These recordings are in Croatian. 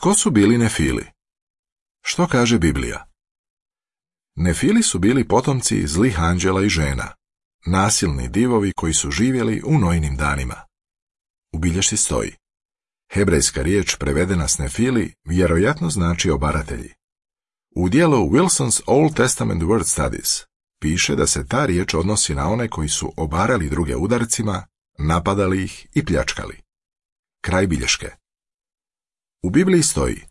Tko su bili Nefili? Što kaže Biblija? Nefili su bili potomci zlih anđela i žena, nasilni divovi koji su živjeli u Nojinim danima. U bilješci stoji: hebrejska riječ prevedena s Nefili vjerojatno znači obaratelji. U dijelu Wilson's Old Testament Word Studies piše da se ta riječ odnosi na one koji su obarali druge udarcima, napadali ih i pljačkali. Kraj bilješke. U Bibliji stoji: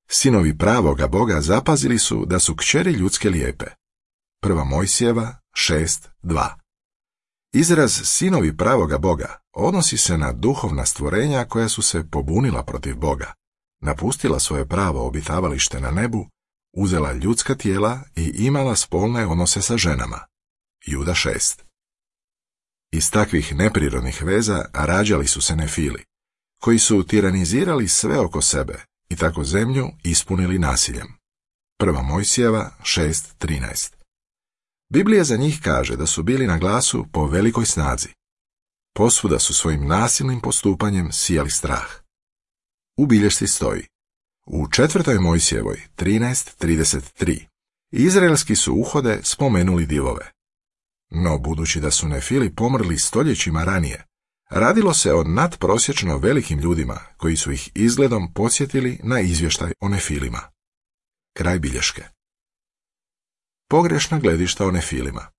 sinovi pravoga Boga zapazili su da su kćeri ljudske lijepe. 1. Mojsijeva 6.2. Izraz sinovi pravoga Boga odnosi se na duhovna stvorenja koja su se pobunila protiv Boga, napustila svoje pravo obitavalište na nebu, uzela ljudska tijela i imala spolne odnose sa ženama. Juda 6. Iz takvih neprirodnih veza rađali su se Nefili, koji su tiranizirali sve oko sebe i tako zemlju ispunili nasiljem. 1. Mojsijeva 6.13. Biblija za njih kaže da su bili na glasu po velikoj snazi. Posvuda su svojim nasilnim postupanjem sijali strah. U bilješci stoji: u 4. Mojsijevoj 13.33 izraelski su uhode spomenuli divove. No, budući da su Nefili pomrli stoljećima ranije, radilo se o nadprosječno velikim ljudima koji su ih izgledom podsjetili na izvještaj o Nefilima. Kraj bilješke. Pogrešna gledišta o Nefilima.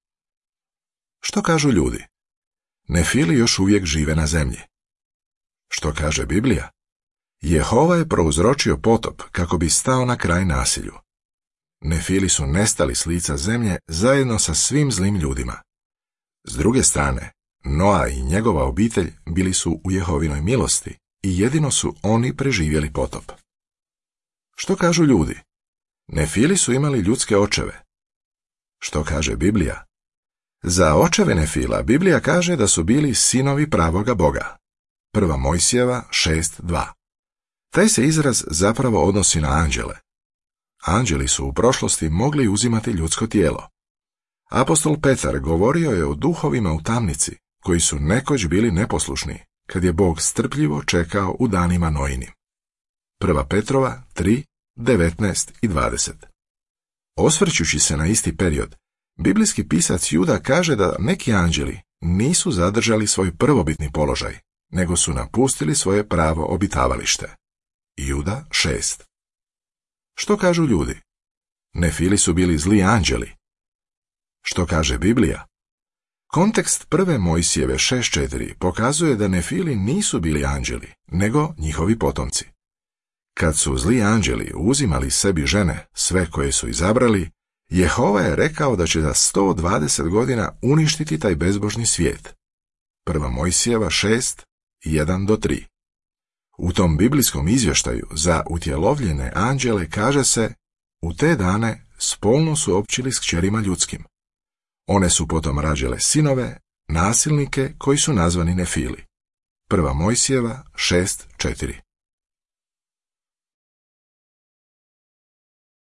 Što kažu ljudi? Nefili još uvijek žive na zemlji. Što kaže Biblija? Jehova je prouzročio potop kako bi stao na kraj nasilju. Nefili su nestali s lica zemlje zajedno sa svim zlim ljudima. S druge strane, Noa i njegova obitelj bili su u Jehovinoj milosti i jedino su oni preživjeli potop. Što kažu ljudi? Nefili su imali ljudske očeve. Što kaže Biblija? Za očeve Nefila Biblija kaže da su bili sinovi pravoga Boga. 1. Mojsijeva 6.2. Taj se izraz zapravo odnosi na anđele. Anđeli su u prošlosti mogli uzimati ljudsko tijelo. Apostol Petar govorio je o duhovima u tamnici, koji su nekoć bili neposlušni, kad je Bog strpljivo čekao u danima Nojinim. 1. Petrova 3.19 i 20. Osvrćući se na isti period, biblijski pisac Juda kaže da neki anđeli nisu zadržali svoj prvobitni položaj, nego su napustili svoje pravo obitavalište. Juda 6. Što kažu ljudi? Nefili su bili zli anđeli. Što kaže Biblija? Kontekst 1. Mojsijeve 6.4 pokazuje da Nefili nisu bili anđeli, nego njihovi potomci. Kad su zli anđeli uzimali sebi žene, sve koje su izabrali, Jehova je rekao da će za 120 godina uništiti taj bezbožni svijet. 1. Mojsijeva 6.1-3. U tom biblijskom izvještaju za utjelovljene anđele kaže se: u te dane spolno su općili s kćerima ljudskim. One su potom rađale sinove, nasilnike koji su nazvani Nefili. 1. Mojsijeva 6.4.